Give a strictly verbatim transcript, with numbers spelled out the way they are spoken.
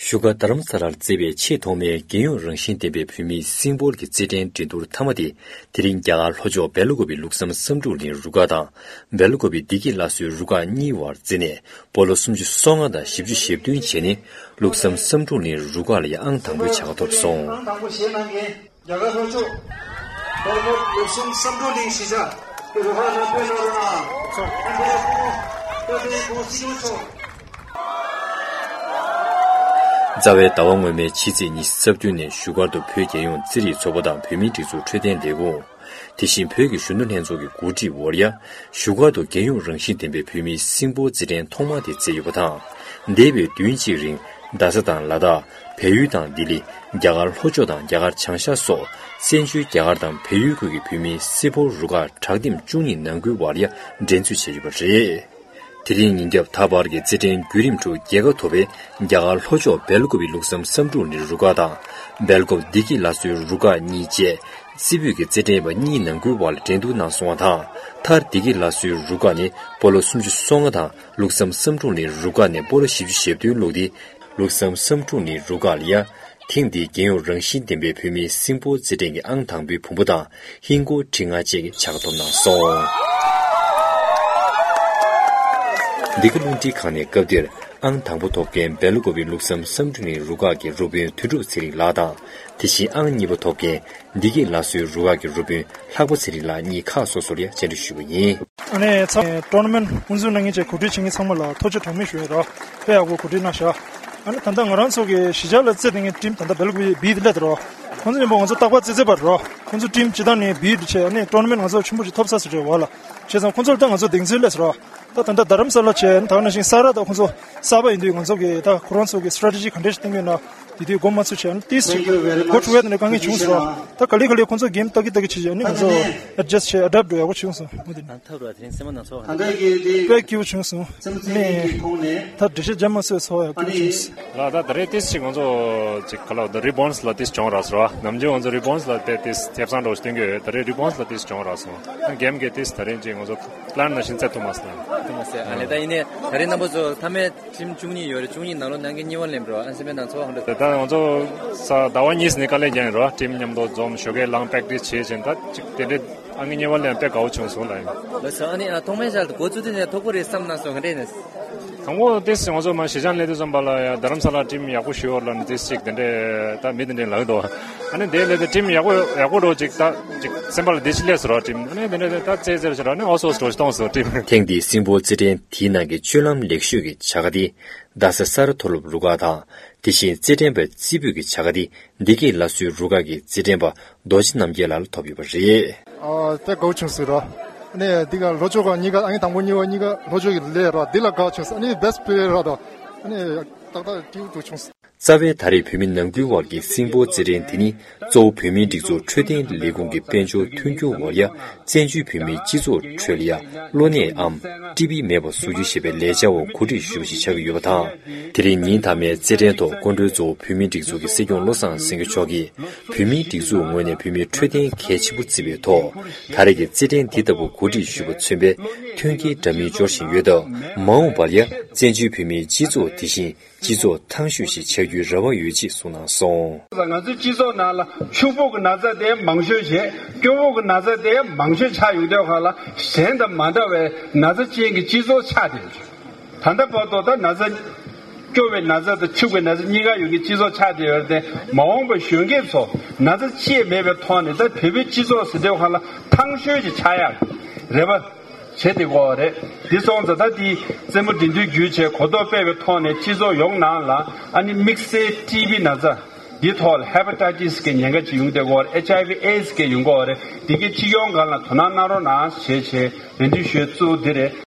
བཞུགས་སྒར་རྡ་རམ་ས་ལར་བརྩིས་པའི་ཆེས་ཐོག་མའི་རྒྱལ་ཡོངས་རང་བཞིན་ལྡན་པའི་བོད་མིའི་སིམ་པོལ་གྱི་རྩེད་འགྲན་འགྲན་བསྡུར་མཐའ་མ་དེ། དེ་རིང་རྒྱ་གར་ལྷོ་ཕྱོགས་སྦེལ་ཀོབ་པི་ལུགས་བསམ་བསམ་འགྲུབ་གླིང་རུ་ཁག་དང་། སྦེལ་ཀོབ་པི་བདེ་སྐྱིད་ལྷ་གསོལ་རུ་ཁག་གཉིས་བར་རྩིས་ནས་སྤོ་ལོ་སུམ་ཅུ་སོ་ལྔ་དང་བཞི་བཅུ་ཞེ་བདུན་བྱས་ནས། ལུགས་བསམ་བསམ་འགྲུབ་གླིང་རུ་ཁག་ལ་ཡང་ཨང་དང་པོའི་བྱ་དགའ་ཐོབ་སོང་། ཨང་དང་པོ་བཞེས་གནང་མཁན། རྒྱ་གར་ལྷོ་ཕྱོགས་སྦེལ་ཀོབ་ལུགས་བསམ་བསམ་འགྲུབ་གླིང་གཞིས་ཆགས་ཀྱི་རུ་ཁག་ནང་ཕེབས་གནང་རོགས་གནང་། ཨ་ནི་ཁོང་སྐུ་བལྟས་ཁོང་སྲིད་སྐྱོང་མཆོག་རྩ་བའི་ཟླ་བ་སྔོན་མའི་ཕྱི་ཚེས་ཉི་ཤུ་རྩ་བདུན་ནས་བཞུགས་སྒར་དུ་བོད་རྒྱལ་ཡོངས་རྩེད་རིགས་ཚོགས་པ་དང་བོད་མིའི་སྒྲིག་འཛུགས་འཕྲོད་བསྟེན་ལས་ཁུངས། དེ་བཞིན་བོད་ཀྱི་གཞོན་ནུ་ལྷན་ཚོགས་ཀྱི་གོ་སྒྲིག་འོག་ཡ། བཞུགས་སྒར་དུ་རྒྱལ་ཡོངས་རང་བཞིན་ལྡན་པའི་བོད་མིའི་སིམ་པོལ་རྩེད་འགྲན་ཐོག་མ་དེ་རྩེད་ཡོད་པ་དང་། འདས་པའི་བདུན་གཅིག་རིང་རྡ་ས་དང་ལ་དྭགས། བལ་ཡུལ་དང་ལྡི་ལི། རྒྱ་གར་ལྷོ་ཕྱོགས་དང་རྒྱ་གར་བྱང་ཤར་སོགས་བཙན་བྱོལ་རྒྱ་གར་དང་བལ་ཡུལ་ཁུལ་གྱི་བོད་མིའི་སིམ་པོལ་རུ་ཁག་དྲག་འདེམས་བཅུ་གཉིས་ནང་ཁུལ་བར་ཡ་འགྲན་རྩོད་བྱས་ཡོད་པ་རེད། དེ་རིང་ཉིན་རྒྱབ་ད་བར་གྱི་རྩེད་འགྲན་བརྒྱུད་རིམ་ཁྲོད་རྒྱལ་ཁ་ཐོབ་པའི་རྒྱ་གར་ལྷོ་ཕྱོགས་སྦེལ་ཀོབ་པི་ལུགས་བསམ་བསམ་འགྲུབ་གླིང་རུ་ཁག་དང་། སྦེལ་ཀོབ་བདེ་སྐྱིད་ལྷ་གསོལ་རུ་ཁག་གཉིས་བཅས། རྩེ་ཕུད་ཀྱི་རྩེད་འགྲན་པ་གཉིས་ནང་ཁུལ་བར་འགྲན་བསྡུར་གནང་སོང་བ་དང་། མཐར་བདེ་སྐྱིད་ལྷ་གསོལ་རུ་ཁག་ནས་སྤོ་ལོ་སུམ་ཅུ་སོ་ལྔ་དང་ལུགས་བསམ་བསམ་འགྲུབ་གླིང་རུ་ཁག་ནས་སྤོ་ལོ་བཞི་བཅུ་ཞེ་བདུན་བླུགས་ཏེ། ལུགས་བསམ་བསམ་འགྲུབ་གླིང་རུ་ཁག་ལ་ཡ། ཐེངས་འདིའི་རྒྱལ་ཡོངས་རང་བཞིན་ལྡན་པའི་བོད་མིའི་སིམ་པོལ་རྩེད་འགྲན་གྱི་ཨང་དང་པོའི་བུ་མོ་དང་ཧིན་སྒོར་ཁྲི་ལྔ་བཅས་ཀྱི་བྱ་དགའ་ཐོབ་གནང་སོང་། འདི་ག་རླུང་འཕྲིན་ཁང་ནས་སྐབས་འདིར་ཨང་དང་པོ་ཐོབ་མཁན་སྦེལ་ཀོབ་པི་ལུགས་བསམ་བསམ་འགྲུབ་གླིང་རུ་ཁག་གི་རུ་དཔོན་དོན་གྲུབ་ཚེ་རིང་ལགས་དང་། དེ་བཞིན་ཨང་གཉིས་པ་ཐོབ་མཁན་བདེ་སྐྱིད་ལྷ་གསོལ་རུ་ཁག་གི་རུ་དཔོན་ལྷག་པ་ཚེ་རིང་ལགས་གཉིས་ཁག་སོ་སོར་ཡང་བཅར་འདྲི་ཞུས་པ་ཡིན། ཨ་ནི་ཚང་ཊོར་ནམེན་ཊི་དབུ་འཛུགས་གནང་མཁན་བཅས་གོ་སྒྲིག་བྱེད་མཁན་ཚང་མ་ལ་ཐུགས་རྗེ་གྲངས་མེད་ཞུ་ཡས་རོ། དཔེ་ཡག་པོ་གོ་སྒྲིག་གནང་ཤག་ཨ་ནི་ད་ལྟ་ང་རང་ཚོ་གི་གཞིས་ཆགས་ལ་རྩེད་བསྡད་མཁན་ཊིམ་ད་ལྟ་སྦེལ་ཀོབ་པི་བི་དེ་སླེབས་འདུག་རོ། ཁོང་ཚོ་མཉམ་པོ་ང་ཚོ་རྟག་པར་རྩེད་རྩེད་པ་རོ། ཁོང་ཚོ་ཊིམ་སྤྱི་བཏང་ནས་བི་དེ་བྱས་ཨ་ནི་ཊོར་ནམེན་ཊི་ང་ཚོ་ཆེན་པོ་ཞིག་ཐོབ་ས་ཟེར་རེད་བ་ལ། བྱས་ཙང་ཁོང་ཚོར་ད་ང་ཚོ་གདེང་ཚོད་སླེབས་སོང་རོ། ད་ད་ལྟ་རྡ་རམ་ས་ལ་བྱས་ཨ་ནི་ད་ག་ནང་བཞིན་ས་ར་ད་ཁོང་ཚོ་གསར་པ་ཡིན་དུས་ང་ཚོ་གི་ད་ཁོ་རང་ཚོ་གི་སི་ཊེ་ཊེ་ཇི་ག་འདྲས་ཞིག་བཏིང་གི་ཡོད་ན། དེ་དུས་མགོ་མ་ཚོས་བྱས་ཨ་ནི་ཏིས་ཅིག་གོ་ཐུབ་ཡ་དེ་འདྲ་དཀའ་ངལ་བྱུང་སོང་ར། ད་ག་ལེ་ག་ལེ་ཁོང་ཚོ་གེམ་ལྟ་གི་ལྟ་གི་བྱས་བྱས་ཨ་ནི་ང་ཚོ་ཨེ་ཌི་ཇ་སི་ཊི་བྱས་ཨེ་ཌབ་ཊི་འགྲོ་ཡག་པོ་བྱུང་སོང་མུ་མཐུད་ནས། ཐབས་ར་དེ་རིང་སེམས་པ་སྣ་ཚོགས་ཨ་ནི་དཔེ་སྐྱིད་པོ་བྱུང་སོང་། ཨ་ནི་ད་འགྲེལ་བཤད་རྒྱ་མ་བཟོས་ཚོར་བ་ཡག་པོ་བྱུང་སོང་། ལ་ད་ད་རེས་ཏིས་ཅིག་ང་ཚོ་ཅིག་ག་ལ་ད་རི་བོན་སི་ལ་ཏིས་གྱོང་རག་སོང་ར། ནམ་རྒྱུན་ང་ཚོ་རི་བོན་སི་ལ་དཔེ་ཏིས་ཐེབས་གསང་འགྲོ་སྟོན་གྱི་ཡོད། ད་རེས་རི་བོན་སི་ལ་ཏིས་གྱོང་རག་སོང་། ཨ་གེམ་གྱི་ཏིས་ད་རེས་ཅིག་ང་ཚོ་པི་ལན་ནང་བཞིན་རྩེ་ཐུབ་མ་སོང་། ཐུབ་མ་སོང་། ཨ་ནི་ད་ཡིན་ནའི་ད་རེས་རྣམ་པ་ཚོ་མཐའ་མའི་ཊིམ་བཅུ་གཉིས་ཡོད་རེད། བཅུ་གཉིས་ནང་ལོགས་ནང་གི་གཉིས་པ་སླེབས་འགྲོ། ཨ་ནི་སེམས་པའི་སྣང་ཚུལ་གང་འདྲ། ད་ང་ཚོ་ས་ཟླ་བ་གཉིས་ནས་དཀའ་ལས་བརྒྱབ་ཡིན་རོ། ཊིམ་མཉམ་དུ་འཛོམས་ཞོགས་ཀས་ལངས་པེག་ཊིས་བྱེད་བཞིན་ད་ཅིག་དེ་འདྲའི་ཨ་ནི་གཉིས་པ་སླེབས་དཔེ་དགའ་བོ་བྱུང་སོང་ལ་ཡིན། ལགས་སོ། ཨ་ནི་ཨ་ཐོག་མའི་ཆར་དུ་འགོ་བཙུགས་དུས་ནས་ཐོབ་ཀྱི་རེད་བསམ་སྣང་ཚུལ་གང་འདྲ་ཡིན་ན། དང་པོ་ཏིས་ང་ཚོ་མ་གཞིས་ཆགས་སླེབས་དུས་ཙམ་པ་ལ་ཡ་རྡ་རམ་ས་ལ་ཊིམ་ཡག་པོ་ཞིག་ཡོད་ལབ་ནས་ཏིས་ཅིག་དེ་འདྲའི་ད་མི་དེ་འདྲའི་ལབ་འདུག་ཨ་ནི་དེ་སླེབས་དུས་ཊིམ་ཡག་པོ་ཡག་པོ་འགྲོ་ཅིག་ད་ཅིག་སེམས་པ་ལ་བདེ་སྐྱིད་སླེབས་སོང་རོ། ཊིམ་ཨ་ནི་དེ་འདྲ་ད་རྩེད་རྩེད་བྱས་རོ། ཨ་ནི་ཨོ་སོ་སོ་འགྲོ་ཞིག་གཏོང་སོང་ཊིམ། ཐེངས་འདིའི་སིམ་པོལ་རྩེད་འགྲན་དེའི་ནང་གི་སྤྱོད་ལམ་ལེགས་ཤོས་ཀྱི་བྱ་དགའ་དེ། རྡ་ས་ས་ར་མཐོ་སློབ་རུ་ཁག་དང་། དེ་བཞིན་རྩེད་འགྲན་པ་རྩེ་ཕུད་ཀྱི་བྱ་དགའ་དེ་བདེ་སྐྱིད་ལྷ་གསོལ་རུ་ཁག་གི་རྩེད་འགྲན་པ་རྡོ་རྗེ་རྣམ་རྒྱལ་ལགས་ལ་ཐོབ་ཡོད་པ་རེད། ཨ་དཔེ་དགའ་བོ་བྱུང་སོང་ར། ཨ་ནི་འདི་ག་ལྷོ་ཕྱོགས་ཁག་གཉིས་ཀ་ཨ་ནི་དང་པོ་གཉིས་པ་གཉིས་ཀ་ལྷོ་ཕྱོགས་ཀྱི་སླེབས་ར། འདི་ལ་དགའ་བྱུང་སོང་། ཨ་ནི་བེ་སི་ཊི་པི་ལེ་ཡར་ར་དང་ཨ་ནི་ཏག་ཏག་སྐྱིད་པོ་འདུག་བྱུང་སོང་། རྩ་བའི་ད་རེས་བོད་མི་ནང་ཁུལ་དབར་གྱི་སིམ་པོལ་རྩེད་འགྲན་དེ་ནི་གཙོ་བོ་བོད་མིའི་སྒྲིག་འཛུགས་འཕྲོད་བསྟེན་ལས་ཁུངས་ཀྱི་དཔལ་འབྱོར་མཐུན་འགྱུར་འོག་ཡ། བཙན་བྱོལ་བོད་མིའི་སྤྱི་ཚོགས་ཁྲོད་ལ་ཡ། གློ་ནད་འམ་ཊི་བི་མེད་པ་བཟོ་རྒྱུ་ཞེས་པའི་ལས་འཆར་འོག་གོ་སྒྲིག་ཞུས་པ་ཞིག་ཆགས་ཀྱི་ཡོད་པ་དང་། དེ་རིང་ཉིན་མཐའ་མའི་རྩེད་འགྲན་ཐོག་སྐུ་མགྲོན་གཙོ་བོ་བོད་མིའི་སྒྲིག་འཛུགས་ཀྱི་སྲིད་སྐྱོང་བློ་བཟང་སེང་གེ་མཆོག་གིས། བོད་མིའི་སྒྲིག་འཛུགས་ངོས་ནས་བོད་མིའི་འཕྲོད་བསྟེན་གལ་ཆེན་པོ་བརྩིས་པའི་ཐོག་ད་རེས་ཀྱི་རྩེད་འགྲན་འདི་ལྟ་བུ་གོ་སྒྲིག་ཞུས་པ་མཚོན་པའི་མཐུན་རྐྱེན་འདྲ་མིན་སྦྱོར་བཞིན་ཡོད་སྟབས། མ་འོངས་པར་ཡང་བཙན་བྱོལ་བོད་མིའི་སྤྱི་ཚོགས་དེ་བཞིན་སྤྱི་ཚོགས་ཐང་ཤོས་ཤིག་ཆགས་རྒྱུའི་རེ་བ་ཡོད་ཅེས་གསུངས་གནང་སོང་། ང་ཚོའི་སྤྱི་ཚོགས་ནང་ལ་ཕྱུག་པོ་གི་ན་ཚ་དེ་མང་ཤོས་བྱས། སྐྱོ་པོ་གི་ན་ཚ་དེ་མང་ཤོས་ཆགས་ཡོང་དུས་སྒང་ལ་གཞན་དང་མ་འདྲ་བའི་ན་ཚ་ཅན་གྱི་སྤྱི་ཚོགས་ཆགས་བསྡད་ཡོད། ད་ལྟ་བར་དུ་ད་ན་ཚ། སྐྱོ་བའི་ན་ཚ་དང་ཕྱུག་པའི་ན་ཚ་གཉིས་ཀ་ཡོད་མཁན་སྤྱི་ཚོགས་ཆགས་བསྡད་ཡོད་རེད་དེ། མ་འོངས་པའི་གཞོན་སྐྱེས་ཚོ་ན་ཚ་ཅི་ཡང་མེད་པའི་ཐོག་ནས་ད་བོད་པའི་སྤྱི་ཚོགས་ཟེར་དུས་སྒང་ལ་ཐང་ཤོས་ཅིག་ཆགས་ཡག་རེ་བ་བྱེད་བསྡད་ཀྱི་ཡོད་རེད། འདི་སོང་ཙང་ད་འདི་རྩེད་མོ་འགྲན་བསྡུར་བརྒྱུད་བྱས་གོ་རྟོགས་སྤེལ་བའི་ཐོག་ནས་སྤྱི་ཚོགས་ཡོངས་ནང་ལ་ཨ་ནི་དམིགས་བསལ་ཊི་བི་ན་ཚ་འདིའི་ཐོག་ལ་ཧེ་པ་ཊའི་ཊི་སི་གི་ཉེན་ཁ་ཅིག་ཡོང་བསྡད་ཀྱི་ཡོད་རེད། ཨེཆ་ཨའི་ཝི་ཨེ་ཌི་སི་གི་ཡོང་གི་ཡོད་རེད། འདི་གའི་སྤྱི་ཡོངས་སྒང་ལ་དོ་སྣང་གནང་རོགས་གནང་ཞེས་བྱས་རེ་འདུན་ཞུ་ཡས་གཙོ་བོ་འདི་རེད།